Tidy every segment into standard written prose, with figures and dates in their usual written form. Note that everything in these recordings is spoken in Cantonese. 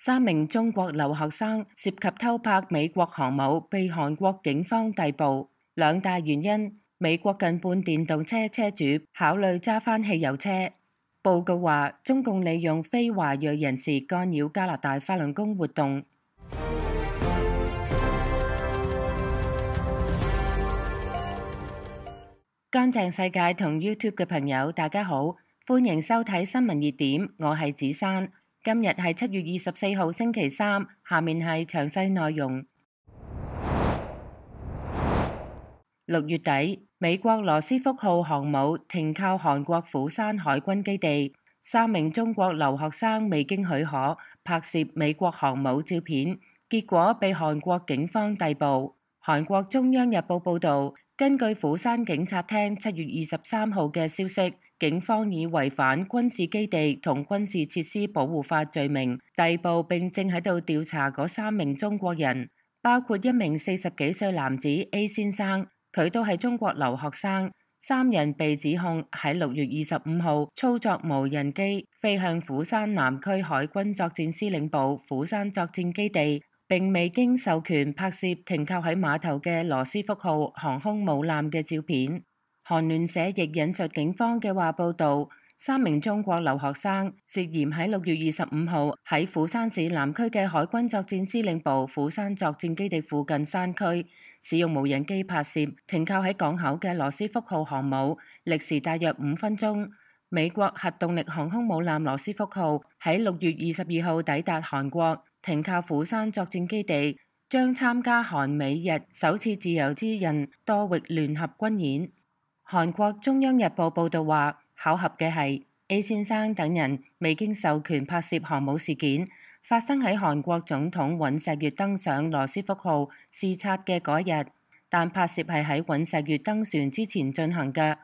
3名中國留學生涉及偷拍美國航母被韓國警方逮捕，兩大原因：美國近半電動車車主考慮揸返汽油車。報告話，中共利用非華裔人士干擾加拿大法輪功活動。乾淨世界同 YouTube 嘅朋友，大家好，歡迎收睇新聞熱點，我係子珊。今日係7月24號星期三，下面係詳細內容。6月底，美國羅斯福號航母停靠韓國釜山海軍基地，3名中國留學生未經許可拍攝美國航母照片，結果被韓國警方逮捕。韓國中央日報報導，根據釜山警察廳7月23號嘅消息，警方以違反軍事基地同軍事設施保護法罪名逮捕並正喺度調查嗰3名中國人，包括一名40幾歲男子 A 先生，佢都係中國留學生。3人被指控喺6月25號操作無人機飛向釜山南區海軍作戰司令部釜山作戰基地，並未經授權拍攝停靠喺碼頭嘅羅斯福號航空母艦嘅照片。韓聯社亦引述警方嘅話報導，3名中國留學生涉嫌喺6月25號喺釜山市南區嘅海軍作戰司令部釜山作戰基地附近山區使用無人機拍攝停靠喺港口嘅羅斯福號航母，歷時大約5分鐘。美國核動力航空母艦羅斯福號喺6月22號抵達韓國，停靠釜山作戰基地，將參加韓美日首次自由之刃多域聯合軍演。韓國中央日報報導話，巧合嘅係 A 先生等人未經授權拍攝航母事件，發生喺韓國總統尹錫悅登上羅斯福號視察嘅嗰日，但拍攝係喺尹錫悅登船之前進行嘅。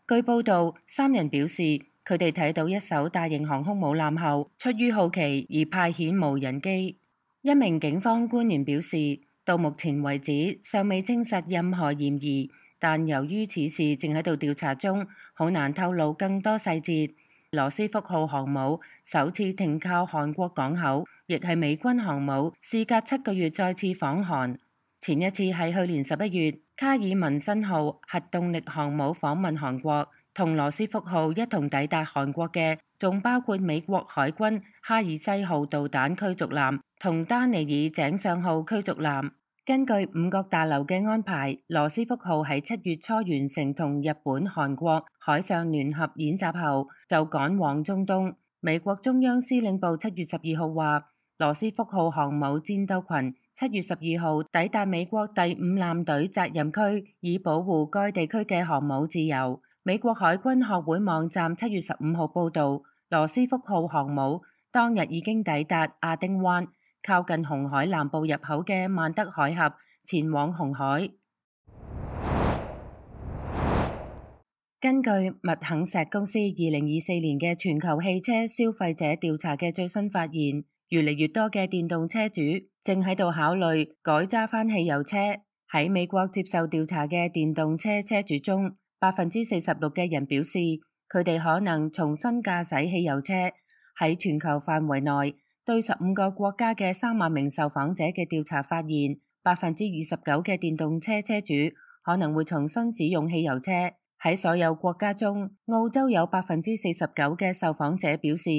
據報導，3人表示佢哋睇到一艘大型航空母艦後，出於好奇而派遣無人機。一名警方官員表示，到目前為止尚未證實任何嫌疑，但由於此事正喺度調查中，好難透露更多細節。羅斯福號航母首次停靠韓國港口，亦係美軍航母事隔7個月再次訪韓。前一次係去年11月，卡爾文森號核動力航母訪問韓國，同羅斯福號一同抵達韓國嘅，仲包括美國海軍哈爾西號導彈驅逐艦同丹尼爾井上號驅逐艦。根據五角大樓嘅安排，羅斯福號喺7月初完成同日本、韓國海上聯合演習後，就趕往中東。美國中央司令部7月12號話，羅斯福號航母戰鬥群7月12號抵達美國第5艦隊責任區，以保護該地區嘅航母自由。美國海軍學會網站7月15號報導，羅斯福號航母當日已經抵達亞丁灣，靠近紅海南部入口嘅曼德海峽，前往紅海。根據麥肯錫公司2024年嘅全球汽車消費者調查嘅最新發現，越嚟越多嘅電動車主正喺度考慮改揸返汽油車。喺美國接受調查嘅電動車車主中，46%嘅人表示佢哋可能重新駕駛汽油車。喺全球範圍內，對15個國家嘅3萬名受訪者嘅調查發現，29%嘅電動車車主可能會重新使用汽油車。喺所有國家中，澳洲有49%嘅受訪者表示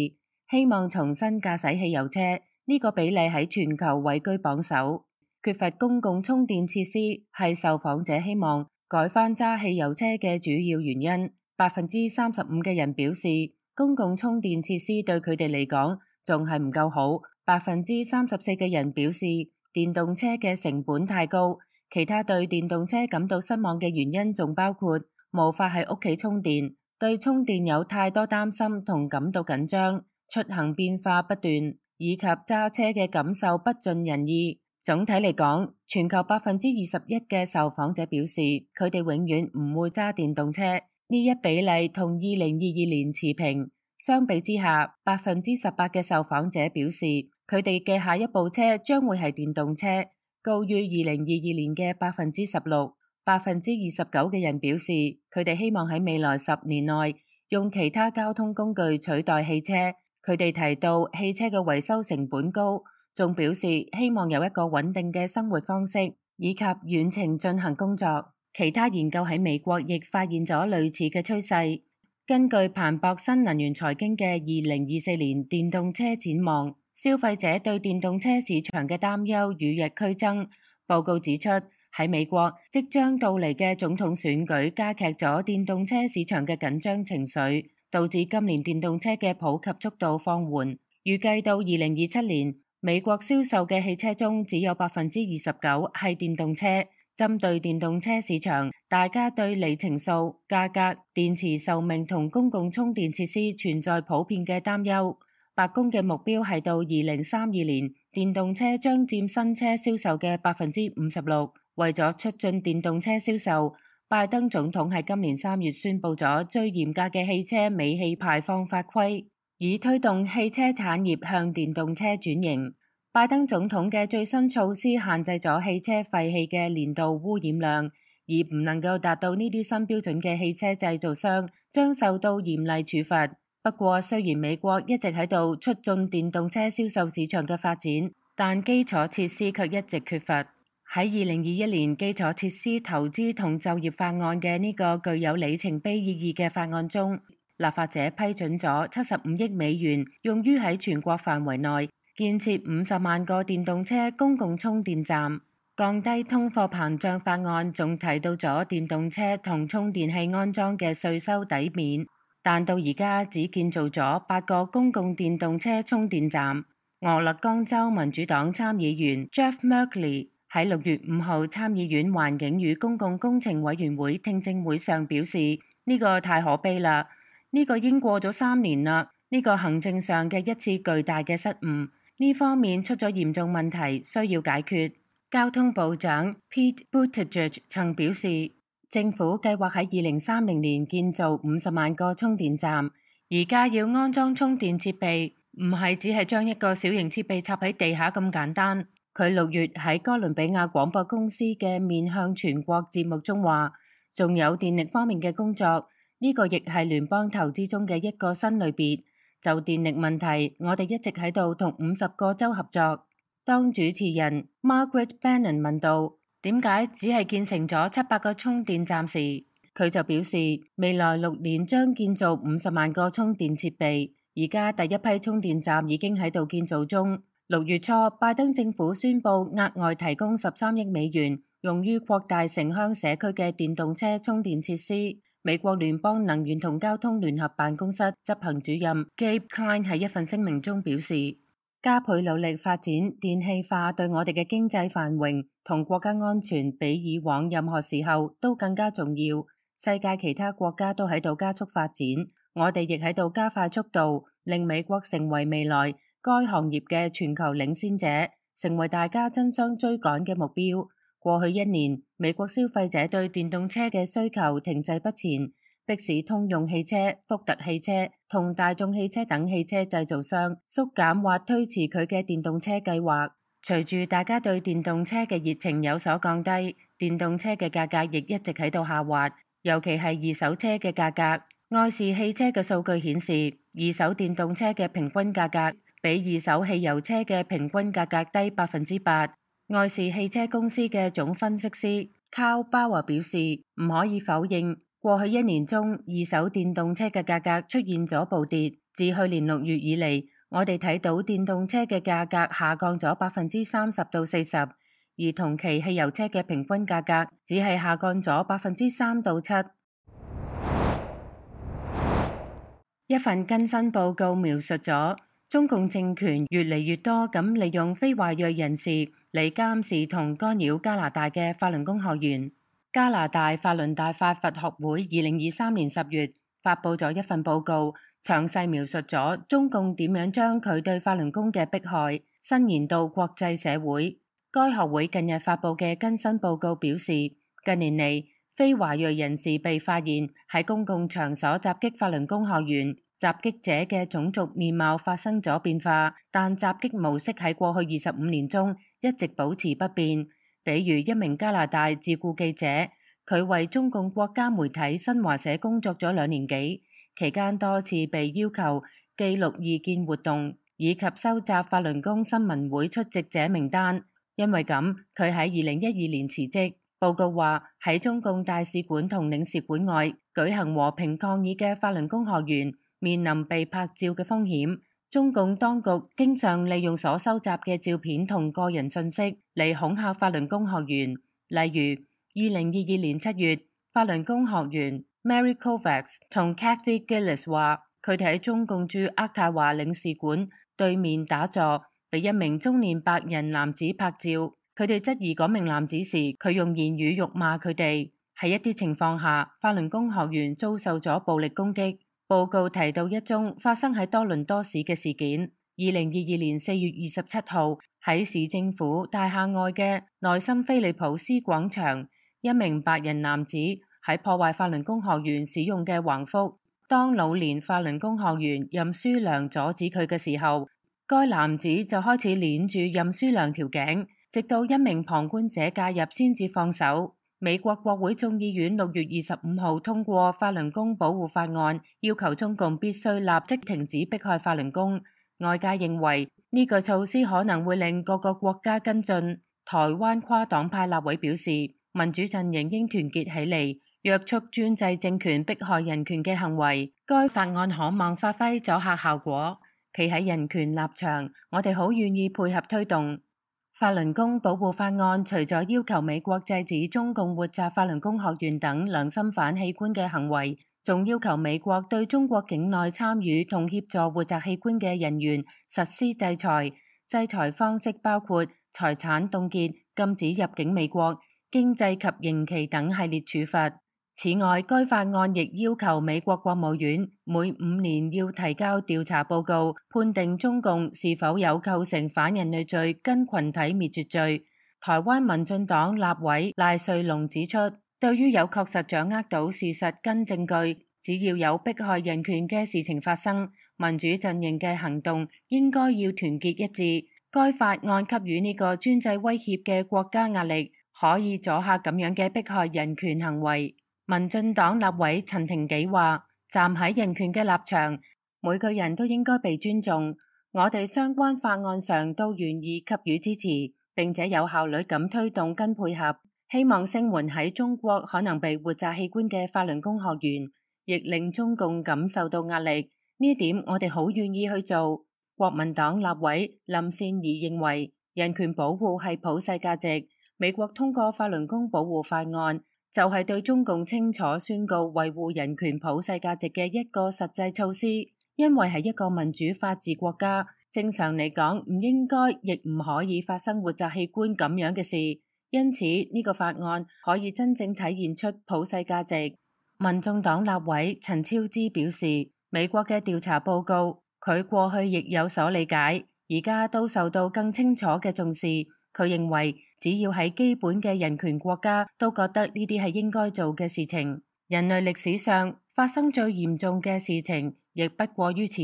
希望重新駕駛汽油車，呢個比例喺全球位居榜首。缺乏公共充電設施係受訪者希望改返揸汽油車嘅主要原因。35%嘅人表示公共充電設施對佢哋嚟講仲係唔夠好。34%嘅人表示電動車嘅成本太高。其他對電動車感到失望嘅原因仲包括無法喺屋企充電，對充電有太多擔心同感到緊張，出行變化不斷，以及揸車嘅感受不盡人意。總體嚟講，全球21%嘅受訪者表示佢哋永遠唔會揸電動車，呢一比例同2022年持平。相比之下，18%嘅受訪者表示佢哋嘅下一部車將會係電動車，高於2022年嘅16%。29%嘅人表示佢哋希望喺未來10年內用其他交通工具取代汽車，佢哋提到汽車嘅維修成本高，仲表示希望有一個穩定嘅生活方式，以及遠程進行工作。其他研究喺美國亦發現咗類似嘅趨勢。根據彭博新能源財經嘅2024年電動車展望，消費者對電動車市場嘅擔憂與日俱增。報告指出，喺美國即將到嚟嘅總統選舉加劇咗電動車市場嘅緊張情緒，導致今年電動車嘅普及速度放緩。預計到2027年，美國銷售嘅汽車中只有29%係電動車。針對電動車市場，大家對里程數、價格、電池壽命同公共充電設施存在普遍嘅擔憂。白宮嘅目標係到2032年，電動車將佔新車銷售嘅56%。為咗促進電動車銷售，拜登總統喺今年3月宣布咗最嚴格嘅汽車尾氣排放法規，以推動汽車產業向電動車轉型。拜登總統嘅最新措施限制咗汽車廢氣嘅年度污染量，而唔能夠達到呢啲新標準嘅汽車製造商將受到嚴厲處罰。不過，雖然美國一直喺度促進電動車銷售市場嘅發展，但基礎設施卻一直缺乏。喺2021年基礎設施投資同就業法案嘅呢個具有里程碑意義嘅法案中，立法者批准咗75億美元，用於喺全國範圍內建設50萬個電動車公共充電站。降低通貨膨脹法案仲提到咗電動車同充電器安裝嘅稅收抵免，但到而家只建造咗8個公共電動車充電站。俄勒岡州民主黨參議員 Jeff Merkley喺6月5號參議院環境與公共工程委員會聽證會上表示，呢個太可悲啦，呢個已經過咗3年啦，呢個行政上嘅一次巨大嘅失誤，呢方面出咗嚴重問題，需要解決。交通部長 Pete Buttigieg 曾表示，政府計劃喺2030年建造50萬個充電站，而家要安裝充電設備，唔係只係將一個小型設備插喺地下咁簡單。佢6月喺哥倫比亞廣播公司嘅面向全國節目中話，仲有電力方面嘅工作，呢個亦係聯邦投資中嘅一個新類別。就電力問題，我哋一直喺度同50個州合作。當主持人 Margaret Brennan 問到點解只係建成咗700個充電站時，佢就表示未來6年將建造50萬個充電設備，而家第一批充電站已經喺度建造中。6月初，拜登政府宣布額外提供13億美元，用於擴大城鄉社區嘅電動車充電設施。美國聯邦能源同交通聯合辦公室執行主任 Gabe Klein 喺一份聲明中表示，加倍努力發展電氣化對我哋嘅經濟繁榮同國家安全比以往任何時候都更加重要。世界其他國家都喺度加速發展，我哋亦喺度加快速度，令美國成為未來該行業嘅全球領先者，成為大家爭相追趕嘅目標。過去1年，美國消費者對電動車嘅需求停滯不前，迫使通用汽車、福特汽車同大眾汽車等汽車製造商縮減或推遲佢嘅電動車計劃。隨住大家對電動車嘅熱情有所降低，電動車嘅價格亦一直喺度下滑，尤其係二手車嘅價格。愛士汽車嘅數據顯示，二手電動車嘅平均價格比二手汽油車嘅平均價格低8%。愛士汽車公司嘅總分析師 Carl Bauer 表示，唔可以否認，過去1年中二手電動車嘅價格出現咗暴跌。自去年6月以嚟，我哋睇到電動車嘅價格下降咗30%到40%，而同期汽油車嘅平均價格只係下降咗3%到7%。一份更新報告描述咗中共政權越嚟越多咁利用非華裔人士嚟監視同干擾加拿大嘅法輪功學員。加拿大法輪大法佛學會2023年10月發佈咗一份報告，詳細描述咗中共點樣將佢對法輪功嘅迫害伸延到國際社會。該學會近日發佈嘅更新報告表示，近年嚟非華裔人士被發現喺公共場所襲擊法輪功學員，襲擊者嘅種族面貌發生咗變化，但襲擊模式喺過去25年中一直保持不變。比如一名加拿大自雇記者，佢為中共國家媒體新華社工作咗2年幾，期間多次被要求記錄異見活動，以及收集法輪功新聞會出席者名單。因為咁，佢喺2012年辭職。報告話喺中共大使館同領事館外舉行和平抗議嘅法輪功學員面臨被拍照嘅風險。中共當局經常利用所收集嘅照片同個人信息嚟恐嚇法輪功學員。例如，2022年7月，法輪功學員 Mary Kovacs 同 Kathy Gillis 話，佢哋喺中共駐渥太華領事館對面打坐，被一名中年白人男子拍照。佢哋質疑嗰名男子時，佢用言語辱罵佢哋。喺一啲情況下，法輪功學員遭受咗暴力攻擊。報告提到一宗發生喺多倫多市嘅事件。2022年4月27號，喺市政府大廈外嘅內森菲利普斯廣場，一名白人男子喺破壞法輪功學員使用嘅橫幅。當老年法輪功學員任書良阻止佢嘅時候，該男子就開始鏈住任書良條頸，直到一名旁觀者介入先至放手。美國國會眾議院6月25號通過法輪功保護法案，要求中共必須立即停止迫害法輪功。外界認為呢個措施可能會令各個國家跟進。台灣跨黨派立委表示，民主陣營應團結起嚟，約束專制政權迫害人權嘅行為。該法案可望發揮阻嚇效果。企喺人權立場，我哋好願意配合推動。法輪功保護法案除咗要求美國制止中共活摘法輪功學員等良心反器官嘅行為，仲要求美國對中國境內參與同協助活摘器官嘅人員實施制裁。制裁方式包括財產凍結、禁止入境美國、經濟及刑期等系列處罰。此外，該法案亦要求美國國務院每5年要提交調查報告，判定中共是否有構成反人類罪跟群體滅絕罪。台灣民進黨立委賴瑞隆指出，對於有確實掌握到事實跟證據，只要有迫害人權嘅事情發生，民主陣營嘅行動應該要團結一致。該法案給予呢個專制威脅嘅國家壓力，可以阻嚇咁樣嘅迫害人權行為。民進黨立委陳庭紀話，站喺人權嘅立場，每個人都應該被尊重。我哋相關法案上都願意給予支持，並且有效率咁推動跟配合，希望聲援喺中國可能被活摘器官嘅法輪功學員，亦令中共感受到壓力。呢點我哋好願意去做。國民黨立委林善儀認為，人權保護係普世價值，美國通過法輪功保護法案，就係對中共清楚宣告維護人權普世價值嘅一個實際措施。因為係一個民主法治國家，正常嚟講唔應該亦唔可以發生活摘器官咁樣嘅事。因此呢個法案可以真正體現出普世價值。民眾黨立委陳超之表示，美國嘅調查報告佢過去亦有所理解，而家都受到更清楚嘅重視。佢認為只要喺基本嘅人權國家都覺得呢啲係應該做嘅事情。人類歷史上發生最嚴重嘅事情亦不過於此。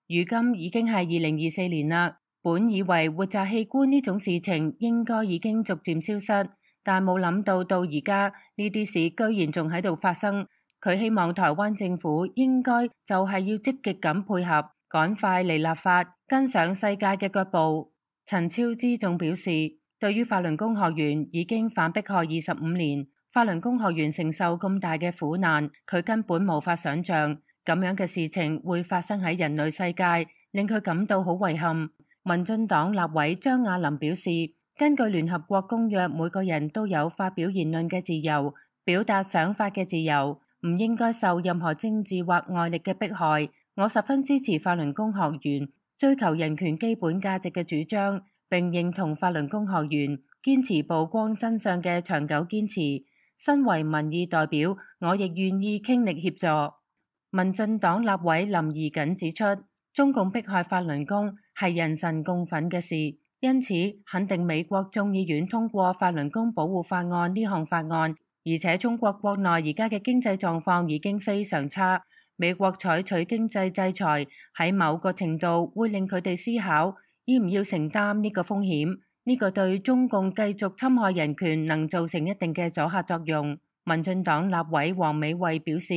如今已經係2024年啦，本以為活摘器官呢種事情應該已經逐漸消失，但冇諗到到而家呢啲事居然仲喺度發生。佢希望台灣政府應該就係要積極咁配合，趕快嚟立法，跟上世界嘅腳步。陳超之仲表示，對於法輪功學員已經反迫害25年，法輪功學員承受咁大嘅苦難，佢根本無法想象咁樣嘅事情會發生喺人類世界，令佢感到好遺憾。民進黨立委張亞林表示，根據聯合國公約，每個人都有發表言論嘅自由，表達想法嘅自由，唔應該受任何政治或外力嘅迫害。我十分支持法輪功學員追求人權基本價值嘅主張，並認同法輪功學員堅持曝光真相嘅長久堅持。身為民意代表，我亦願意傾力協助。民進黨立委林宜瑾指出，中共迫害法輪功係人神共憤嘅事，因此肯定美國眾議院通過法輪功保護法案呢項法案。而且中國國內而家嘅經濟狀況已經非常差。美國採取經濟制裁喺某個程度會令佢哋思考要唔要承擔呢個風險，呢個對中共繼續侵害人權能造成一定嘅阻嚇作用。民進黨立委黃美惠表示，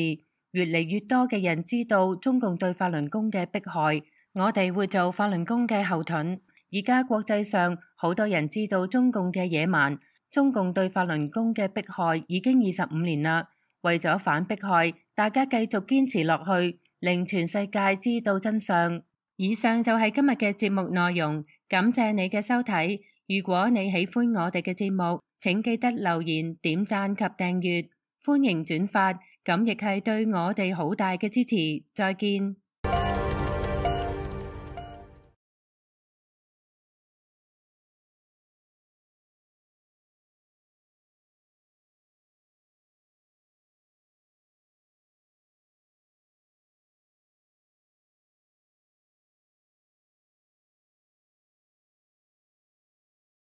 越嚟越多嘅人知道中共對法輪功嘅迫害，我哋會做法輪功嘅後盾。而家國際上好多人知道中共嘅野蠻，中共對法輪功嘅迫害已經25年啦。為咗反迫害，大家繼續堅持落去，令全世界知道真相。以上就係今日嘅節目內容，感謝你嘅收睇。如果你喜歡我哋嘅節目，請記得留言、點讚及訂閱，歡迎轉發，咁亦係對我哋好大嘅支持。再見。